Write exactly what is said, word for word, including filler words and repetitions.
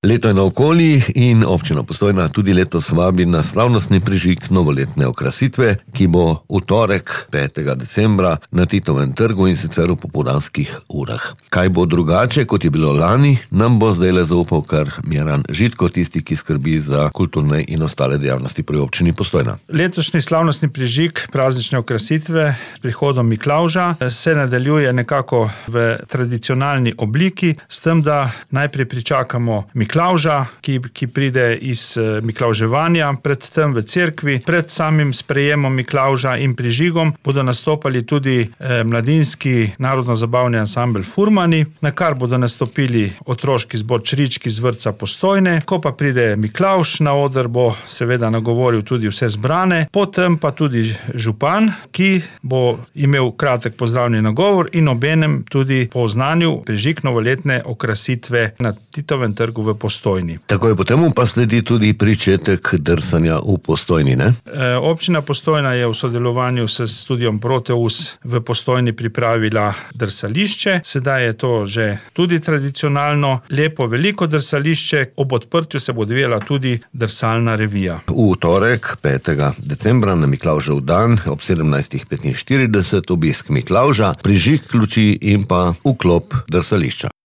Leto je naokoli in občina Postojna tudi letos vabi na slavnostni prižig novoletne okrasitve, ki bo v torek, petega decembra, na Titovem trgu in sicer v popoldanskih urah. Kaj bo drugače, kot je bilo lani, nam bo zdajle zaupal kar Miran Žitko, tisti, ki skrbi za kulturne in ostale dejavnosti pri občini Postojna. Letošnji slavnostni prižig praznične okrasitve s prihodom Miklavža se nadaljuje nekako v tradicionalni obliki, s tem, da najprej pričakamo Miklavža, ki, ki pride iz miklavževanja, predtem v cerkvi. Pred samim sprejemom Miklavža in prižigom bodo nastopali tudi eh, mladinski narodno-zabavni ansambel Furmani, na kar bodo nastopili otroški zbor Črički z vrtca Postojne. Ko pa pride Miklavž na oder, bo seveda nagovoril tudi vse zbrane, potem pa tudi župan, ki bo imel kratek pozdravni nagovor in obenem tudi po oznanju prižig novoletne okrasitve na Titovem trgu v Postojni. Tako je, potem pa sledi tudi pričetek drsanja v Postojni, ne? E, občina Postojna je v sodelovanju s studiom Proteus v Postojni pripravila drsališče. Sedaj je to že tudi tradicionalno, lepo, veliko drsališče. Ob odprtju se bo odvijala tudi drsalna revija. V torek, petega decembra, na Miklavžev dan, ob sedemnajstih petinštirideset, obisk Miklavža, prižig luči in pa vklop drsališča.